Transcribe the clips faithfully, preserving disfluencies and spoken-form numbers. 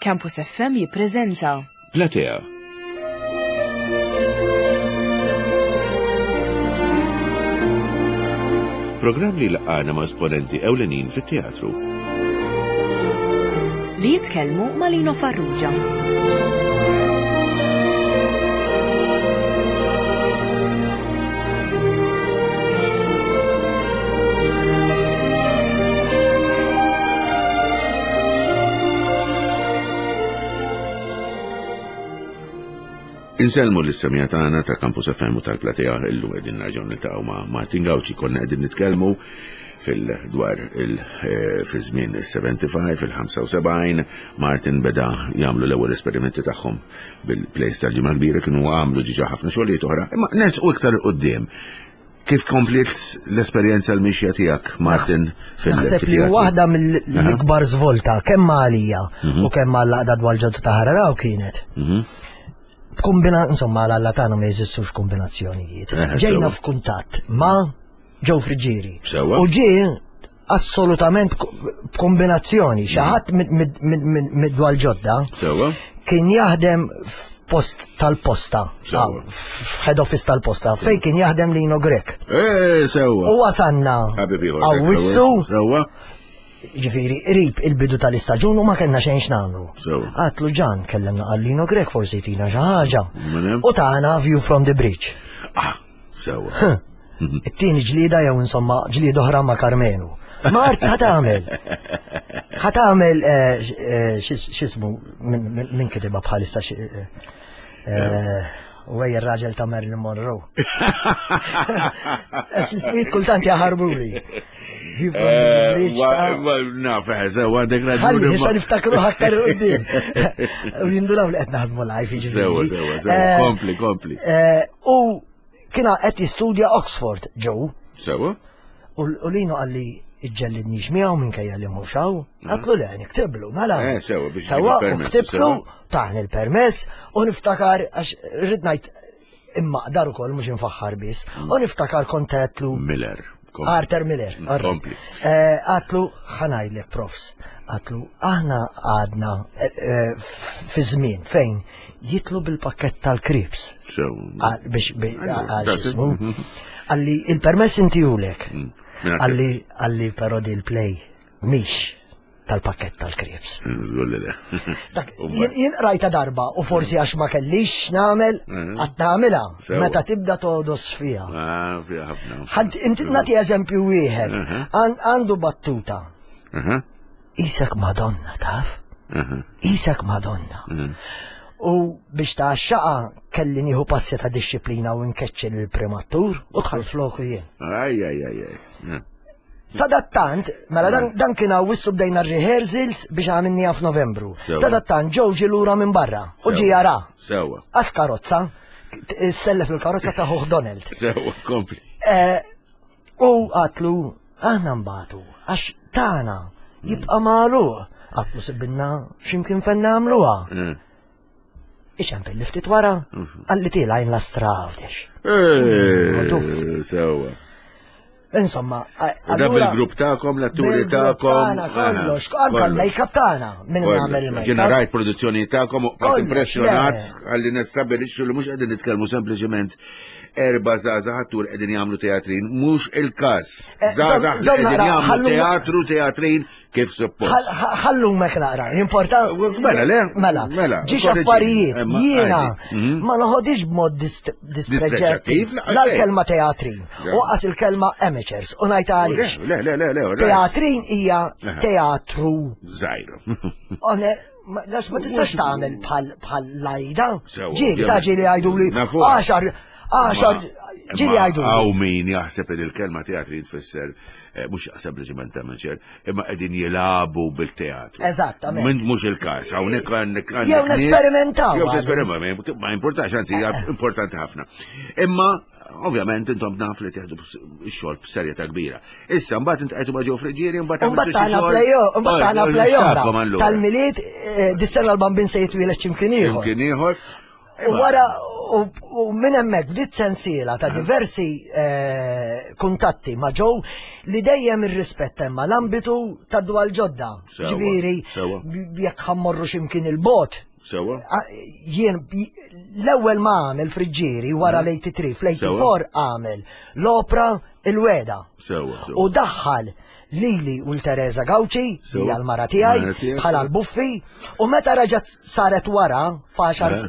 Campus F M jippreżenta Platea. Programm li laqana ma' esponenti ewlenin fit-teatru. Li jitkellmu ma' Lino Farrugia. Insellmu lis-semija tagħna ta' Campus F M u tal-Platea. Illum qegħdin nerġgħu niltaqgħu ma' Martin Gauci. Konna qegħdin nitkellmu fil-dwar il eh, fi żmien il-ħamsa u sebgħin, il-ħamsa u sebgħin. Martin beda jagħmlu l-ewwel esperimenti tagħhom bil-plays tal-Ġimgħa Kbira, kienu għamlu diġà ħafna xogħlijiet oħra, imma nersqu iktar quddiem. Kif kompliet l-esperjenza, l-mixja tiegħek, Martin, fil Naħseb li fit-teatru? Waħda mill-ikbar svolta kemm għalija u kemm għall-għaqda Dwal Ġodda ta' Ħal Għargħur kienet. Mhm. Kombina, insomma, għal tagħna ma jeżistux kombinazzjonijiet. Eh, Ġejna sewa. f'kuntatt ma' Joe Friggieri. Sewa. U ġie assolutament ko- kombinazzjoni, xi ħadd mid-Dwal Ġodda Sewa? kien jaħdem f'post tal-posta, Sewa. ah, f'head office tal-posta, fej kien jaħdem Lino Grech. Eh, sewa. U wasanna Ħabib ieħor. Awwissu, Sewa? ġifiri, qrib il-bidu tal-istaġun u ma kellna xejn x'nagħmlu. Sewa. Għedtlu, "Ġan, kellemna għal Lino Grech, forsi jtina xi ħaġa." Mela? U tana View from the Bridge. Ah, sewa. It-tieni ġlida jew insomma ġlida oħra ma' Karmenu. Mart, ħa tagħmel. Ħa tagħmel eh, eh, x'is- x'ismu min min- min kitibha bħalissa xi- eh, eh, u għej ir-raġel ta' Marilyn Monroe. X'ismijiet kultant jaħarbuli. View from the Bridge ta' Naf, eh, sewa, għandek Ħalli, raġuni. issa niftakru aktar quddiem. U jindunaw li qed naħdmu live, jiġifieri. Sewa, sewa, sewa. Eh, Kompli, kompli. eh, U kiena qed jistudja Oxford, Joe. Sewa? U u Lino qalli, "Iġġellidnix miegħu minkejja li mhux hawn." Għedtlu, "Le, niktiblu, mela." Eh, sewa, biex Sewa, ġibu u permess, ktiblu, sewa. taħni il-permess, u niftakar, għax rrid ngħid imma qdar ukoll, mhux infaħħar biss, u niftakar kont għedtlu Miller. Kompli. Arthur Miller. Arthur. Kompli. Eh, Għedtlu, "Ħa ngħidlek, profs," għedtlu, "aħna għadna eh, eh, fi żmien fejn jitlu bil-pakket tal-krips." Sewa. Għal- biex bi- għal that's it. xismu. Qalli, "Il-permess intihulek." Minn Qalli, qalli "però di l-play mhix tal-pakket tal-krips." Żgur li le. Dak, U jien jien rajta darba u forsi għax ma kellix nagħmel, għad nagħmilha Sewa. meta tibda todos fiha. Ah, fiha ħafna. Ħadd inti nagħti eżempju wieħed. Għan- Għandu battuta. Aha, "Isek Madonna, taf? aha. Isek Madonna." U biex ta' xaqa kelli nieħu passi ta' disċiplina u nkeċċi l-primattur u dħal floku jien. Aj, aj, aj, aj. Sadattant, mela dan, dan kien Awwissu, bdejna rehearsals biex għamilniha f'Novembru. Sewa. Sadattant Joe ġie lura minn barra u ġi Sewa. jara. Sewa. Għas karozza, sellef il-karozza ta' ħuh Donald. Sewa, kompli. Eh, U għedtlu, "Aħna mbatu, għax tana jibqa' magħluq." Għedtlu, "Sibbilna x'imkien fejn nagħmluha." Eh. Iċempel li ftit wara, qalli, "Tilgħin l-Astra Għawdex." Eh, Sewa. Insomma, U da bil-grupp tagħkom, l-atturi tagħkom. Tagħna kollox, anka l-make-up tagħna, minn nagħmel il-make-up. Ġena rajt produzzjoni tagħkom u bqajt Kollox, impressjonat le. għalli nistabilixxu li mhux qegħdin nitkellmu sempliċement erba' żgħażagħ attur qegħdin jagħmlu teatrin, mhux il-każ. Eh, Żgħażagħ li żomm qegħdin naqra, jagħmlu ħallu- teatru, teatrin kif suppost. Ħallu mek naqra, importa. Mela, le? Mela, Mela, ġiex korreġini. affarijiet, Imma, jiena għajdi. Mhm. ma noħodix b'mod dis- Dispreġġattiv, dispreġġattiv la, la xejn. l-kelma teatrin, Le. u qas il-kelma amateurs, u ngħid għaliex. Le, le, le, le, le. Teatrin hija Aha. teatru. Żgħir. One, ma las ma tistax tagħmel bħal bħal lajda. Sewa, Ġieli ta' ovvjament. ġieli jgħidu li Nafu. għaxar, għaxar, ġieli jgħidu li. Hawn min jaħseb li l-kelma teatrin tfisser eh, mhux sempliċement amateur, imma qegħdin jilagħbu bil-teatru. Eżattament. Min mhux il-każ, hawnhekk għandek għandek Jew nies- nesperimentaw, Jew għadis. tesperimentaw, ma importax, anzi hija importanti ħafna. Imma ovvjament intom naf li teħdu x-xogħol b'serjetà kbira. Issa mbagħad intqajtu ma' Joe Friggieri, mbagħad Mbagħad għamiltu xi tagħna xogħol. play mbagħad tagħna Oh, play oħra. x'tagħkom allura? Tal-Milied, eh, dis-sena l-Bambin se jitwieled x'imkien ieħor. X'imkien ieħor. U wara, u minn hemmhekk bdiet sensiela ta' diversi kuntatti ma' Joe li dejjem irrispetta imma l-ambitu ta' dwal ġodda. Ġifieri, jekk ħa mmorru x'imkien il-bot. Sewa. Jien l-ewwel ma għamel Friġġieri wara l-eighty-three, fl-eighty-four għamel l-opra Il-Weda. Sewa. U daħħal lili u l-Teresa Gauci, hija l-mara tiegħi, bħala l-buffi, u meta reġgħet saret wara,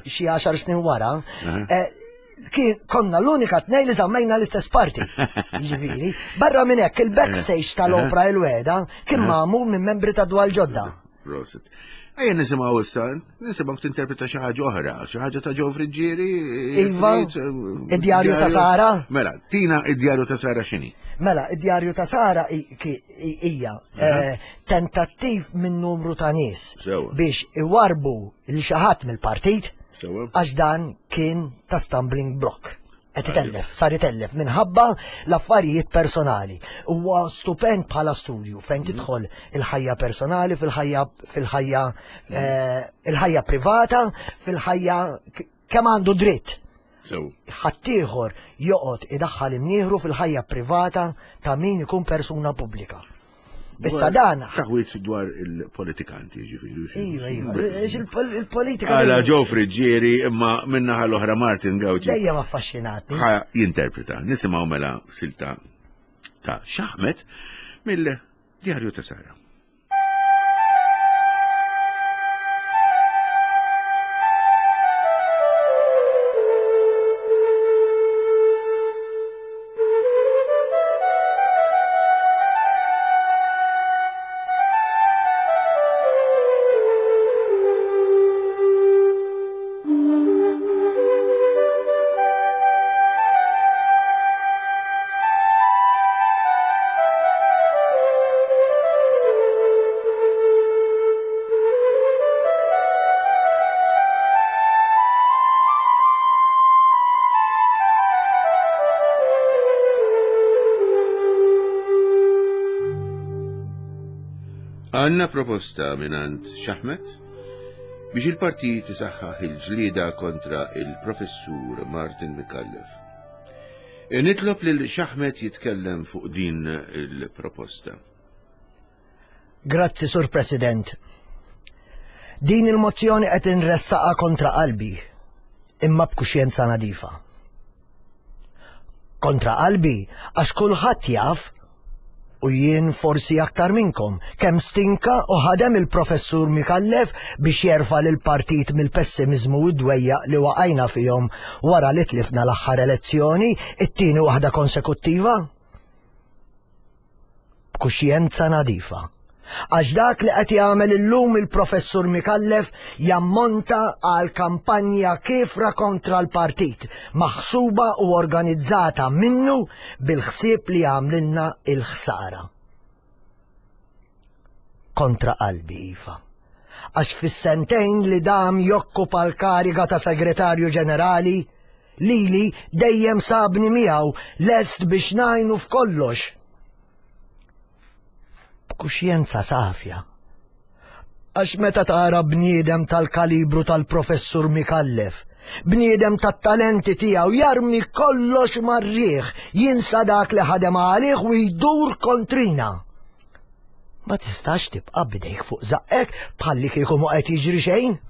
xi għaxar snin wara, kien konna l-unika tnejn li żammejna l-istess parti. Jiġifieri, barra minn hekk il-backstage tal-opra Il-Weda kien magħmul minn membri ta' Dwal Ġodda. Prosit. Ejja nisimgħu issa, nisimgħu tinterpreta xi ħaġa oħra, xi ħaġa ta' Joe Friggieri. Iva, id-djarju ta' Sara. Mela, tina id-djarju ta' Sara x'inhi? Mela, id-djarju ta' Sara hija tentattiv minn numru ta' nies biex iwarbu lil xi ħadd mill-partit għax dan kien ta' stumbling block. Qed itellef, sar itellef minħabba l-affarijiet personali. Huwa stupend bħala studju fejn tidħol il-ħajja personali fil-ħajja fil-ħajja il-ħajja privata, fil-ħajja kemm għandu dritt. Ħaddieħor joqgħod idaħħal imnieħru fil-ħajja privata ta' min ikun persuna pubblika. Issa dan taħwit dwar il-politikanti, ġifieri. Iva, iva, il-politika. Għala Joe Friggieri imma minnaħa l-oħra Martin Gauci. Dejjem affaxxinati. Ħa jinterpreta. Nisimgħu mela silta ta' Xaħmet mill-Djarju ta' Sara. Għanna proposta minant Xaħmet biex il-partit isaħħaħ il-ġlieda kontra il-professur Martin Micallef. Nitlob lil Xaħmet jitkellem fuq din il-proposta. Grazzi, Sur President. Din il-mozzjoni qed inressaqa kontra qalbi, imma b'kuxjenza nadifa. Kontra qalbi għax kulħadd jaf, u jien forsi aktar minnkom, kemm stinka u ħadem il-professur Micallef biex jerfa' lill-partit mill-pessimizmu u d-dwejjaq li waqajna fihom wara li tlifna l-aħħar elezzjoni, it-tieni waħda konsekuttiva. B'kuxjenza nadifa. Għax dak li qed jagħmel illum il-professur Micallef jammonta għal kampanja kiefra kontra l-partit, maħsuba u organizzata minnu bil-ħsieb li jagħmlilna il-ħsara. Kontra qalbi, iva. Għax fis-sentejn li dam jokkupa l-kariga ta' segretarju ġenerali, lili dejjem sabni miegħu lest biex ngħinu f'kollox. Kuxjenza safja. Għax meta tara bniedem tal-kalibru tal-professur Micallef, bniedem tat-talenti tiegħu jarmi kollox mar-riħ, jinsa dak li ħadem għalih u jdur kontrina. Ma tistax tibqa' bidejk fuq żaqqek bħalli kieku ma qed jiġri xejn.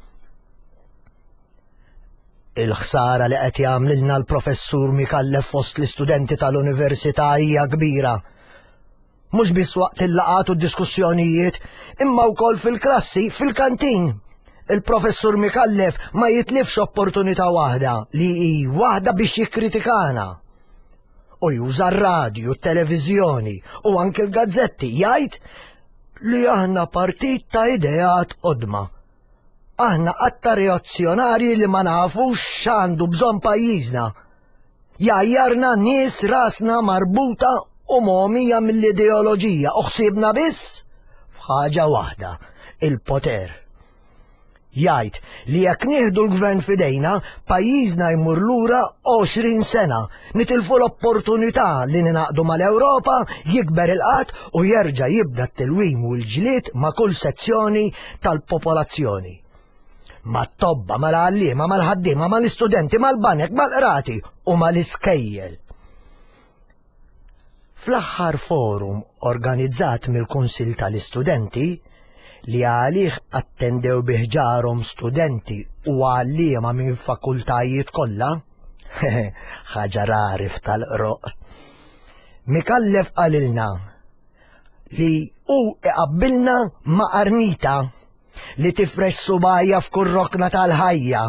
Il-ħsara li qed jagħmlilna l-professur Micallef fost l-istudenti tal-università hija kbira. Mhux biss waqt il-laqgħat u d-diskussjonijiet, imma wkoll fil-klassi, fil-kantin. Il-professur Micallef ma jitlifx opportunità waħda li hi waħda biex jikkritikana. U juża r-radju, t-televiżjoni u anke l-gazzetti jgħid li aħna partit ta' ideat qodma. Aħna qatta reazzjonarji li ma nafux x'għandu bżonn pajjiżna. Jgħajjarna nies rasna marbuta u momija mill-ideoloġija u ħsiebna biss f'ħaġa waħda, il-poter. Jgħid li jekk nieħdu l-gvern f'idejna, pajjiżna jmur lura għoxrin sena, nitilfu l-opportunità li ninaqdu mal-Ewropa, jikber il-qatt u jerġa' jibda t-tilwim u l-ġlied ma' kull sezzjoni tal-popolazzjoni. Mat-tobba, mal-għalliema, mal-ħaddiema, mal-istudenti, mal-banek, mal-qrati u mal-iskejjel. Fl-aħħar forum organizzat mill-Kunsill tal-Istudenti, li għalih attendew bi ħġarhom studenti u għalliema minn fakultajiet kollha, ħaġa rari f'tal-qroq, Micallef qalilna li hu iqabbilna ma' qarnita li tifrex subajja f'kull rokna tal-ħajja.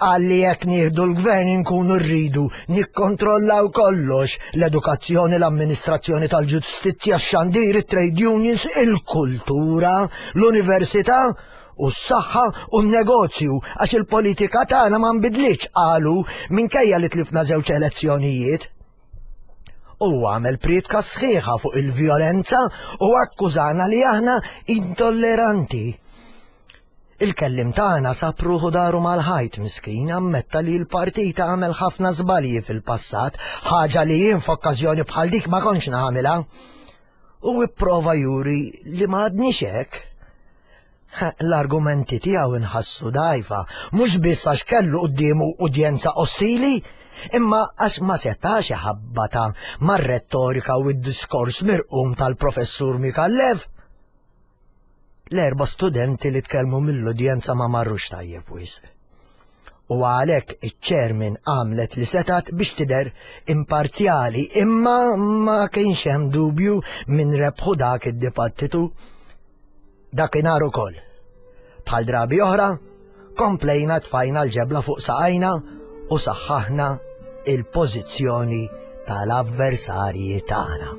Qal li jekk nieħdu l-gvern inkunu rridu nikkontrollaw kollox, l-edukazzjoni, l-amministrazzjoni tal-ġustizzja, x-xandir, it-trade unions, il-kultura, l-università u s-saħħa u n-negozju, għax il-politika tagħna ma nbidlitx, qalu, minkejja li tlifna żewġ elezzjonijiet. U għamel prietka sħiħa fuq il-vjolenza u akkużana li aħna intolleranti. Il-kellim tagħna sab ruħu daru mal-ħajt miskin, ammetta li l-partita għamel ħafna żbalji fil-passat, ħaġa li jien f'okkażjoni bħal dik ma kontx nagħmilha. U ipprova juri li ma għadniex hekk. L-argumenti tiegħu inħassu dgħajfa, mhux biss għax kellu quddiemu udjenza ostili, imma għax ma setax iħabbata mar-rettorika u d-diskors mirqum tal-professur Micallef. L-erba' studenti li tkellmu mill-udjenza ma marrux tajjeb wisq. U għalhekk iċ-chairman għamlet li setat biex tidher imparzjali, imma ma kienx hemm dubju minn rebħu dak id-dibattitu. Dakinhar ukoll. Bħal drabi oħra, komplejna tfajna l-ġebla fuq saqajna u saħħaħna il-pożizzjoni tal-avversarji tagħna.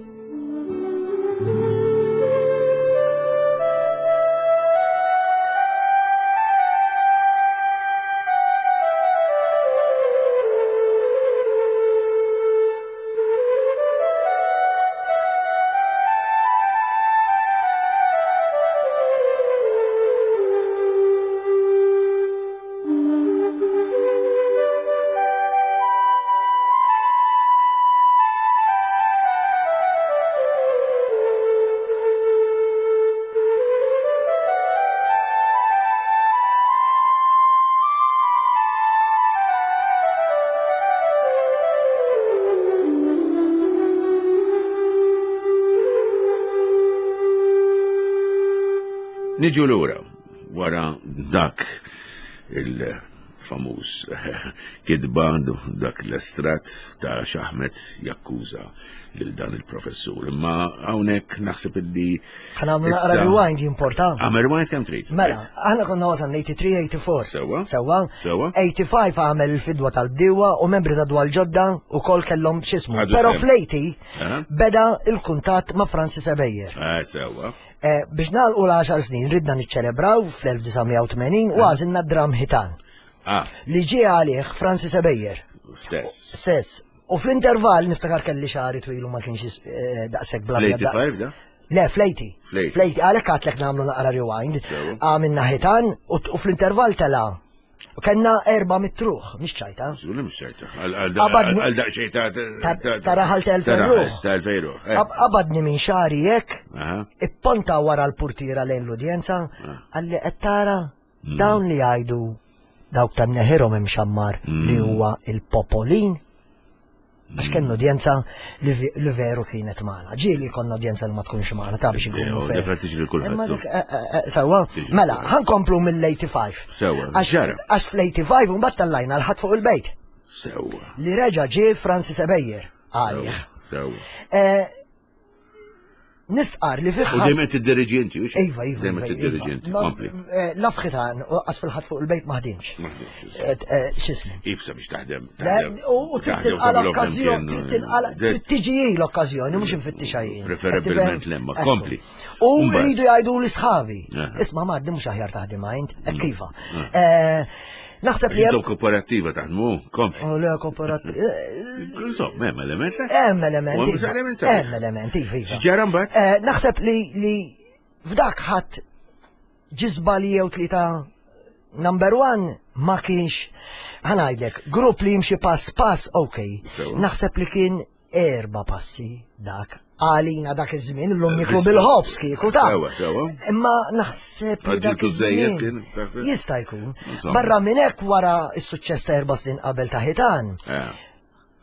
Niġu lura wara dak il-famuż kitba, dak l-estrat ta' Xaħmet jakkuża lil dan il-professur. Imma hawnhekk naħseb illi Ħa nagħmlu naqra rewind jimporta. Għamel rewind kemm trid. Mela, aħna konna wasalna eighty-three eighty-four. Sewwa. Sewwa. Sewwa. eighty-five għamel il-fidwa tal-bdiewa u membri ta' dwal ġodda u kol kellhom x'ismu. Ħadu Però sehem. fl-eighty Aha. beda il-kuntatt ma' Francis Ebejer. Ah, sewwa. Eh, biex nagħlqu l-għaxar snin ridna niċċelebraw fl-elf disa' mija u tmenin u għażilna dram ħitan. Ah. Li ġie għalih Francis Ebejer. Stess. Stess. U fl-intervall niftakar kelli xagħri twil u ma kienx, eh, daqshekk bla bla. Fl-eighty-five da? Le, fl-eighty. Fl-eighty. Fl-eighty, għalhekk għadlek nagħmlu naqra rewind. Sewa. Għamilna ħitan u t-, u fl-intervall tela'. U kellna erba' mitruħ, mhix ċajta. Żgur li mhix ċajta. Għal-, għal-, Qabadni Għal daqsxejn ta' Ta' ta' ta' raħal ta' elfejn ta' raħal ruħ. ta' elfejn ruħ, eh. Qab-, qabadni minn xagħri hekk, Aha. ipponta wara l-portiera lejn l-udjenza, Ah. qalli qed tara Mm. dawn li jgħidu dawk ta' mneħirhom imxammar li Mm. huwa il-popolin. Għax kellna udjenza li ve-, li veru kienet magħna. Ġieli konna udjenza li ma tkunx magħna, ta' biex inkunu Ejja, fair. dak li tiġri lil kulħadd, Imma tu. dik, eh, eh, eh, sewwa, Tiġri mela, kulħadd. ħankomplu mill-eighty-five. Sewwa, Għax ġara. għax fl-eighty-five mbagħad tallajna l-ħadd fuq il-bejt. Sewwa. Li reġa' ġie Francis Ebejer għalih. Sewwa. Eh, Nistqar li fih U dejjem qed tiddiriġi inti, hux? Iva, iva, Dejjem iva, qed tiddiriġi inti, iva. kompli. Eh, laf ħitan, u qas fil-ħadd fuq il-bejt ma ħdimx. Ma ħdimx, Eh, eh, x'ismu? Ibsa biex taħdem, Le, taħdem. u, u trid Taħdem tilqa' tagħmel l-okkażjoni, flimkien, trid tilqa' eh, trid tiġi hi l-okkażjoni, mhux infittixha jien. Preferibilment Qed lemma, tifhem? kompli. U Mbagħad. jridu jgħidu li sħabi. Aha. Isma' Mardi mhux aħjar taħdem għajnt, hekk Mm. iva. Ah. Eh, naħseb li Intom hemm kooperattiva taħdmu, kompli. Oh, le, kooperattiva. Eh, Insomma, hemm element, le? Hemm element, U hemm iva. element sabiħ. Hemm element, iva, iva. X'ġara mbagħad? Eh, naħseb li, li f'dak ħadd ġiżba li jew tlieta number one ma kienx, ħanajdlek, grupp li jimxi pass pass, ok. Sewa. Naħseb li kien erba' passi dak Għalina dak iż-żmien illum niklu bil-ħobż kieku ta'. Sewa, sewa. Imma naħseb li dak Għaġġiltu żejjed iż-żmien kien, taħseb? Jista' jkun. Insomma. Barra minn hekk wara s-suċċess ta' erba' snin qabel ta' ħitan, Eh,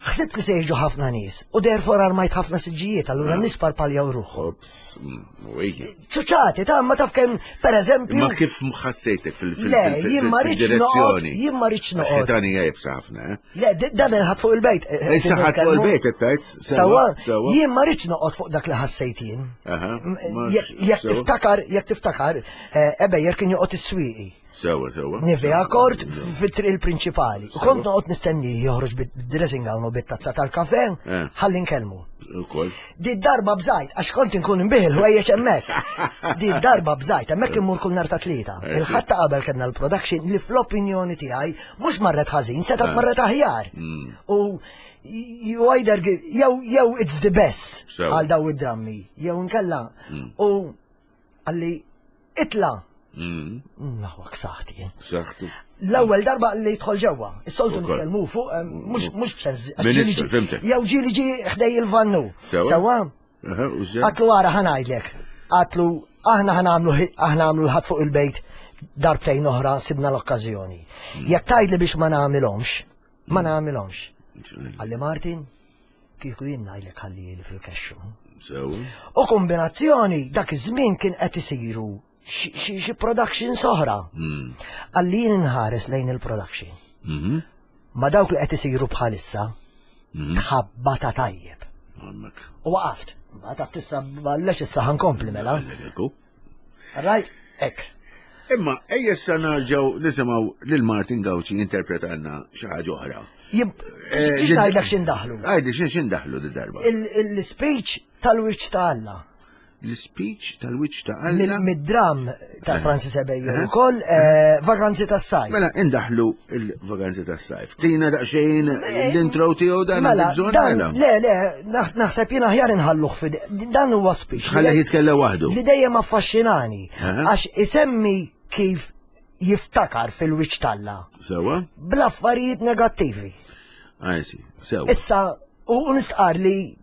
ħsibt li se jiġu ħafna nies u therefore armajt ħafna siġġijiet, allura nies parpaljaw ruħhom. Ops, mm, ujja. Ċuċati, ta' ma taf kemm, per eżempju. Ma kif ħassejtek fil- fil- Le, fil- jien ma rridx fil-direzzjoni? noqgħod, jien ma rridx noqgħod. Ħitan hija jibsa ħafna, eh? Le, di- dan il-ħadd fuq il-bejt. eh, eh, Issa ħadd fuq il-bejt qed tgħid? Sawa, Sewa. jien ma rridx noqgħod fuq dak li ħassejt jien. Aha, M- ma Jekk jekk sewa. tiftakar, jekk tiftakar, eh, Ebejer kien joqgħod is-swieqi. Sewa, sewa. Nivea kort fit-triq il-prinċipali. U kont noqgħod nistenni joħroġ bid-dressing gown u bit-tazza tal-kafe, Eh. ħalli nkellmu. Ukoll. Di darba bżajt, għax kont inkun nbih il-ħwejjeġ hemmhekk. Di darba bżajt, hemmhekk immur kull nhar ta' tlieta. Eh, sì. Il-ħadd ta' qabel kellna l-production li fl-opinjoni tiegħi mhux marret ħażin, setgħet Eh. marret aħjar. Mm. U you either give, jew jew it's the best Sewa. għal daw id-drammi, jew inkella. U għalli itla. Mm, Naħwak saħti. jien. Saħtu. L-ewwel darba li jidħol ġewwa, is-soltu Ukoll. nitkellmu fuq, eh, mhux mhux b'sens. għax Ministru, ġieli ġi- fhimtek. Jew ġieli ġi ħdej il-vannu. Sewa. Sewa? Aha, u ġej? Għatlu għara ħanajdlek. Għatlu aħna ħanamlu aħna għamlu l-ħadd fuq il-bejt darbtejn oħra sibna l-okkażjoni. Jekk tgħidli biex ma nagħmilhomx, ma nagħmilhomx. Għalli Martin, kieku jien ngħidlek ħalli li fil-kexxu. Sewa. U kombinazzjoni dak iż-żmien kien qed isiru xi xi- xi production soħra. Mm. Għalli jien inħares lejn il-production. Mhm. Ma dawk li qed isiru bħalissa Mhm. tħabba ta' tajjeb. Għammek. U waqaft. Ma ta' tissa ballex issa ħankompli mela. Għallek, Right? Ek. Imma ejja issa nerġgħu nisimgħu lil Martin Gauci jinterpretanna xi ħaġa oħra. Jib, Eh, xiex ġid- ngħidlek x'indaħlu? Għajdi x'in x'indaħlu di darba? Il- Il-speech tal-wiċċ ta' Alla. L-speech tal-wiċċ ta' Mill- Alla. Mid-dram ta' Francis Ebejer ukoll eh, Vaganzi tas-sajf. Mela indaħlu il-vaganzi tas-sajf. Tina daqsxejn l-intro tiegħu dan Mela, għandek bżonn dan, mela. le, le, naħ- naħseb jien aħjar inħalluh fid dan huwa speech. Ħalli jitkellem waħdu. Li dejjem affaxxinani Aha. għax isemmi kif jiftakar fil-wiċċ t'Alla Sewa? bl-affarijiet negattivi. Għajsi, sewa. Issa, u u nistqar li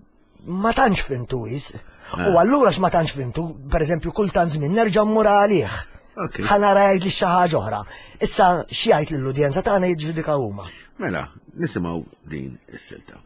ma tantx fimtu wis. U allura x'ma tantx fimtu, per eżempju, kultant żmien nerġa' mmur għalih. Ok. Ħanara jgħid li xi ħaġa oħra. Issa xi jgħid lill-udjenza tagħna jiġġudika huma. Mela, nisimgħu din is-silta.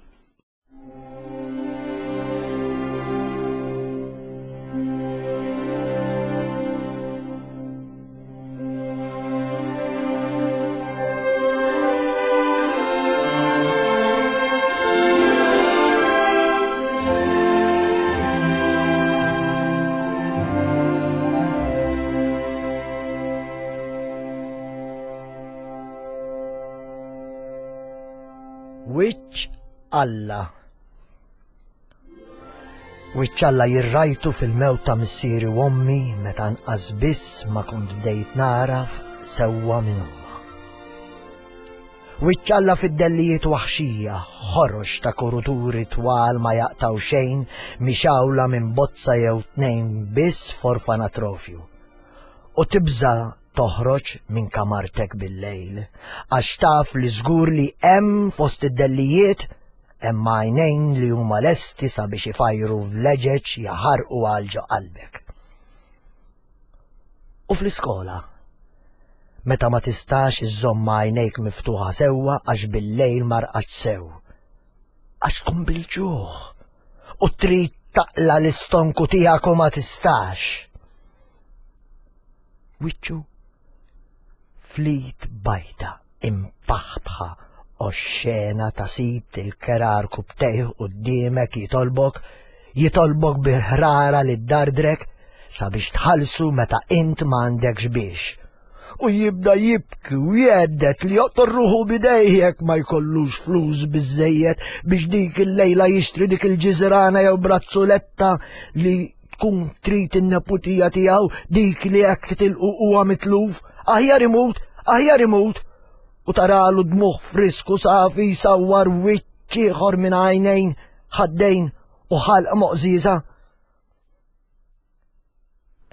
Wiċċ Alla. Wiċċ Alla jirrajtu fil-mewt ta' missieri u ommi meta nqas biss ma kont bdejt naraf sewwa minn huma. Wiċċ Alla fid-dellijiet waħxija, ħorox ta' koruturi twal ma jaqtaw xejn mixawla minn bozza jew tnejn biss forfanatrofju. U tibża toħroġ minn kamartek bil-lejl, għax taf li żgur li hemm fost id-dellijiet hemm għajnejn li huma lesti sabiex ifajru vleġeġ jaħarqu għal ġo qalbek. U fl-iskola, meta ma tistax iżżomm għajnejk miftuħa sewwa għax bil-lejl marqax sew. Għax tkun bil-ġuħ u trid taqla l-istonku tiegħek u ma tistax. Wiċċu flit bajta impaħbħa oxxena ta' sit il-kerar kubtejh quddiemek jitolbok, jitolbok bil-ħrara li dardrek sabiex tħallsu meta int m'għandekx biex. U jibda jibki u jeddet li joqtor ruħu bidejjek ma jkollux flus biżejjed biex dik il-lejla jixtri dik il-ġiżrana jew brazzuletta li tkun trid in-neputija tiegħu dik li hekk tilqu huwa mitluf, aħjar imut, aħjar imut. U taralu dmuħ frisku safi sawwar wiċċ ieħor minn għajnejn, ħaddejn u ħalq moqżiża.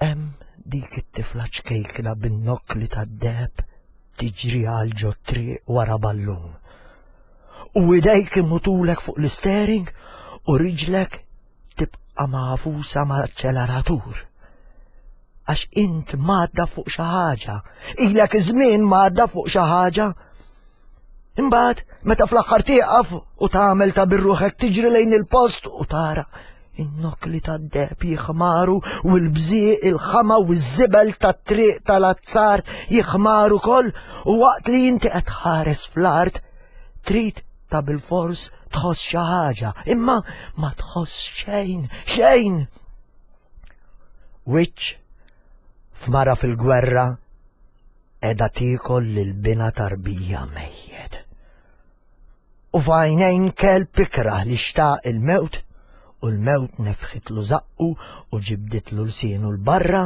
Hemm dik it-tifla ċkejkna bin-nokkli tad-deheb tiġri għal ġo triq wara ballun. U idejk imutulek fuq l-istering u riġlek tibqa' tibqa' magħfusa mal-aċċeleratur. Għax int madda fuq xi ħaġa, ilek żmien madda fuq xi ħaġa. Imbagħad meta fl-aħħar tieqaf u tagħmel ta' birruħek tiġri lejn il-post u tara in-nokli tad-deheb jiħmaru u l-bżieq il-ħama u ż-żibel tat-triq tal-azzar jiħmaru koll u waqt li inti qed tħares fl-art trid ta' bilfors tħoss xi ħaġa, imma ma tħoss xejn, xejn. Wiċċ f'mara fil-gwerra qiegħda tiekol lil bina tarbija mejjet. U f'għajnejn kelb ikrah li xtaq il-mewt u l-mewt nefħitlu żaqqu u ġibditlu lsienu l-barra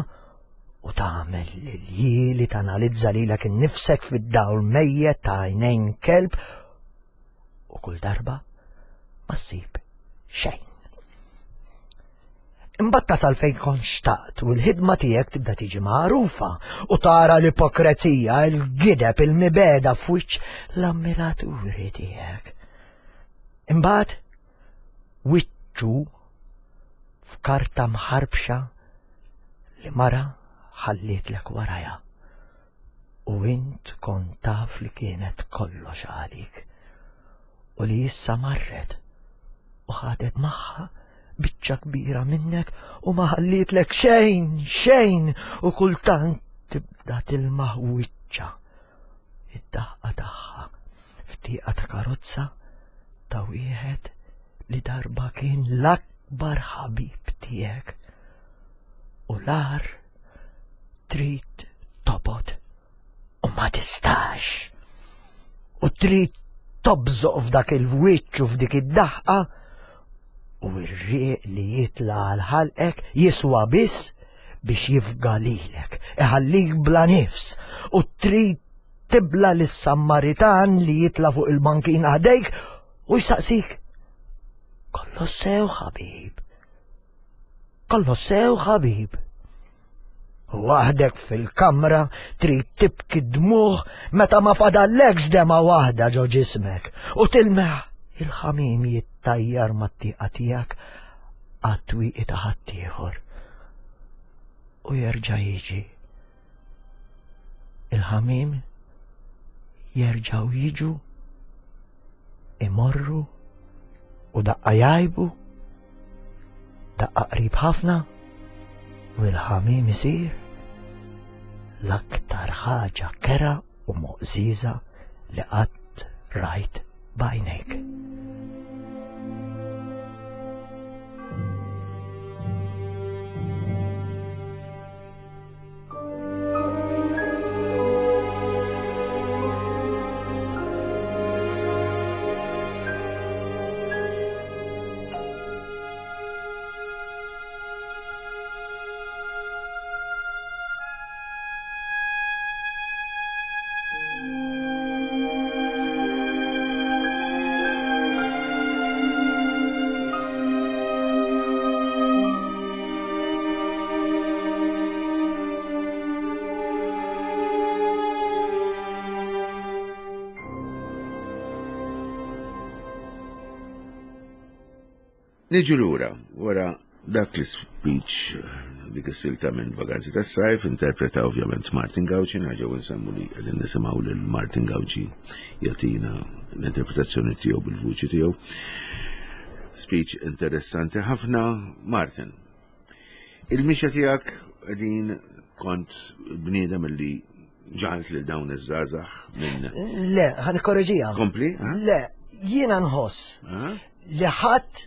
u tagħmel liljieli tanalizza lilek innifsek fid-dawl mejjet ta' għajnejn kelb u kull darba ma ssib xejn. Imbagħad tasal fejn kont xtaqt u l-ħidma tiegħek tibda tiġi magħrufa u tara l-ipokrezija, il-gideb, il-mibeda f'wiċċ l-ammiraturi tiegħek. Imbagħad wiċċu f'karta mħarbxa li mara ħallietlek warajha u int kont taf li kienet kollox għalik u li issa marret u ħadet magħha biċċa kbira minnek u ma ħallietlek xejn, xejn u kultant tibda tilmaħ wiċċa id-daħqa tagħha f'tieqa ta' karozza ta' wieħed li darba kien l-akbar ħabib tiegħek u l-ar trid tobgħod u ma tistax u trid tobżoq f'dak il-wiċċ u f'dik id-daħqa u r-riq li jitla għal ħalqek jiswa biss biex jifga lilek, iħallik bla nifs u trid tibla lis-Sammaritan li jitla fuq il-bankina ħdejk u jsaqsik. Kollox sew ħabib, kollox sew ħabib. U waħdek fil-kamra trid tibki dmuħ meta ma fadallekx dema waħda ġo ġismek u tilmeħ il-ħamim jittajjar mat-tieqa tiegħek għat-twieqi ta' ħaddieħor u jerġa' jiġi. Il-ħamim jerġgħu jiġu imorru u daqqa jgħibu, daqqa qrib ħafna u l-ħamim isir l-aktar ħaġa kera u moqżiża li qatt rajt b'għajnejk. Niġu lura, wara dak l-speech, dik is-silta minn Vaganzi tas-Sajf, interpreta ovvjament Martin Gauci, nerġgħu nsemmu li qegħdin nisimgħu lil Martin Gauci jagħtina l-interpretazzjoni tiegħu bil-vuċi tiegħu. Speech interessanti ħafna, Martin. Il-mixja tiegħek qegħdin kont bniedem li ġalt lil dawn iż-żgħażagħ minn. Le, ħa nikkoreġiha. Kompli? Ha? Le, jiena nħoss li ħadd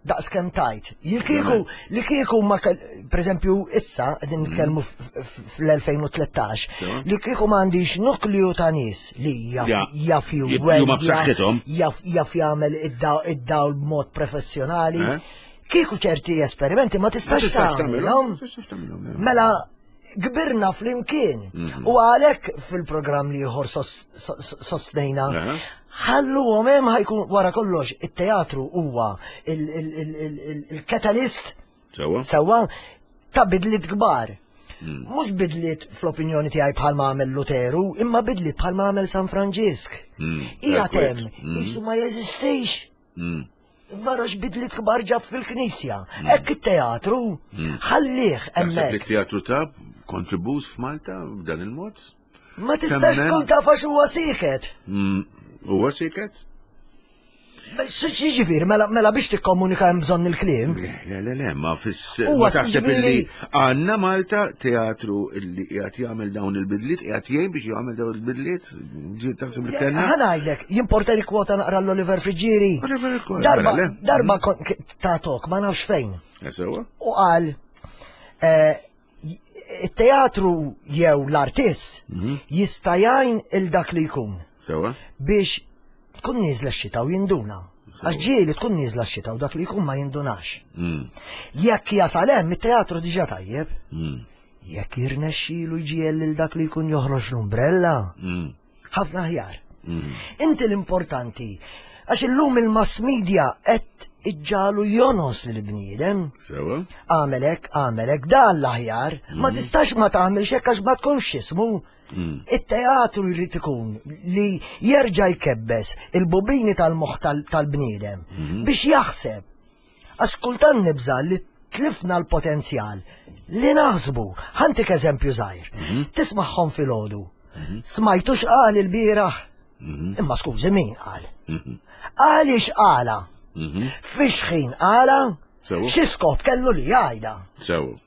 daqs kemm tajt. Li kieku li kieku ma per eżempju issa qegħdin nitkellmu fl-elfejn u tlettax, li kieku m'għandix nukleu ta' nies li jaf jaf jaf jagħmel id-dawl b'mod professjonali. Kieku ċerti esperimenti ma tistax tagħmilhom. Mela kbirna fl-imkien. U għalhekk fil-programm li ieħor sostnejna, ħalluhom hemm ħajkun wara kollox it-teatru huwa il-katalist sewwa ta' bidliet kbar. Mhux bidliet fl-opinjoni tiegħi bħalma għamel Luteru, imma bidliet bħalma għamel San Franġisk. Hija hemm, qisu ma jeżistix. Mara x'bidliet kbar ġab fil-knisja. Hekk it-teatru, ħallih Taħseb li hemmhekk. t-teatru ta' kontribut f'Malta b'dan il-mod? Ma tistax Temmen? tkun taf għax huwa sieket. Mm, Huwa siket? X'jiġifieri, mela mela biex tikkomunika hemm bżonn il-kliem. Le, le, le, le, ma fis Huwa ma taħseb jiġifieri- illi għandna Malta teatru illi qiegħed jagħmel dawn il-bidliet, qiegħed jgħin biex jagħmel dawn il-bidliet, ġi taħseb li kellna? Ħa ngħidlek, jimporta li kwota naqra l-Oliver Friggieri. Oliver Kwota, Darba, mela, le. darba kon- k- ta' tok, ma nafx fejn. Eh, Sewa? U qal, eh, j- it-teatru jew l-artist jista' jgħin il dak li jkun Sewa? biex tkun nieżla x-xita u jinduna. Għax ġieli tkun nieżla x-xita u dak li jkun ma jindunax. Mm, Jekk jasal hemm it-teatru diġà tajjeb, mm, jekk jirnexxielu jġiegħel lil dak li jkun joħroġ l-umbrella, mm, ħafna aħjar. mm. Inti l-importanti, għax illum il-mass media qed iġġagħlu jonos lill-bniedem. Sewa? Għamel hekk, għamel hekk, dan l-aħjar, ma tistax ma tagħmilx hekk għax ma tkunx x'ismu. Mm. It-teatru jrid ikun li jerġa' jkebbes il-bobini tal-moħħ tal- tal-bniedem biex jaħseb. Għax kultant nibża li tlifna l-potenzjal li naħsbu. Ħa ntik eżempju żgħir. Tismagħhom filgħodu. Smajtu x'qal il-bieraħ? Imma skużi min qal? Mhm. Għaliex qala? Mhm. Fiex ħin qala? Sewa. Xi skop kellu li jgħidha? Sewa.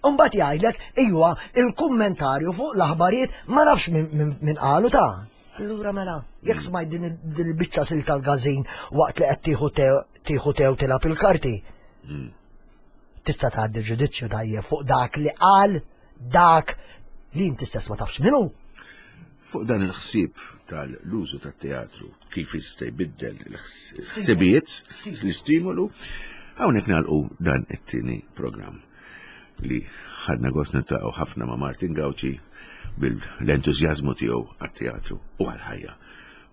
Umbagħad jgħidlek, ijwa, il-kummentarju fuq l-aħbarijiet ma nafx min, min, min qalu ta'. Allura mela, jekk smajt din il- din il-biċċa sil tal-gazin waqt li qed tieħu te- tieħu tew tilgħab il-karti. Mm. Tista' tgħaddi ġudizzju tajjeb fuq dak li qal dak li inti stess ma tafx minnu. Fuq dan il-ħsieb tal-użu tat-teatru, kif jista' jbiddel il-ħsibijiet, l-istimolu, hawnhekk nagħlqu dan it-tieni programm li ħadna gost niltaqgħu ħafna ma' Martin Gauci bil-entużjażmu tiegħu għat-teatru u għal-ħajja.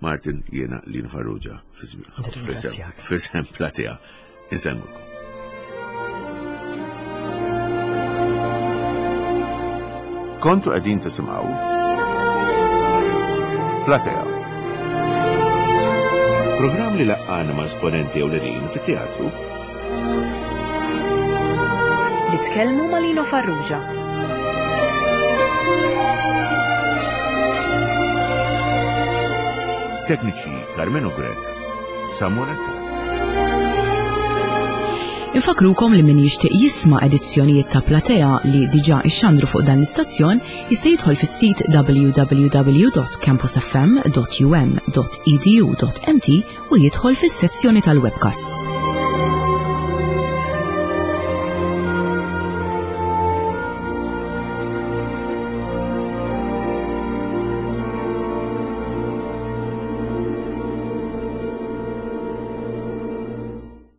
Martin, jiena Lino Farrugia Nirringrazzjak. f'isem Platea. Insellmulkom. Kontu qegħdin tisimgħu Platea. Programm li laqqana ma' esponenti ewlenin fit-teatru Li tkellmu ma' Lino Farrugia. Tekniċi Carmelo Grech, Samuel Attard. Infakrukom li min jixtieq jisma' edizzjonijiet ta' Platea li diġà ixxandru fuq dan l-istazzjon jista' jidħol fis-sit w w w dot campusfm dot u m dot e d u dot m t u jidħol fis-sezzjoni tal-webcasts.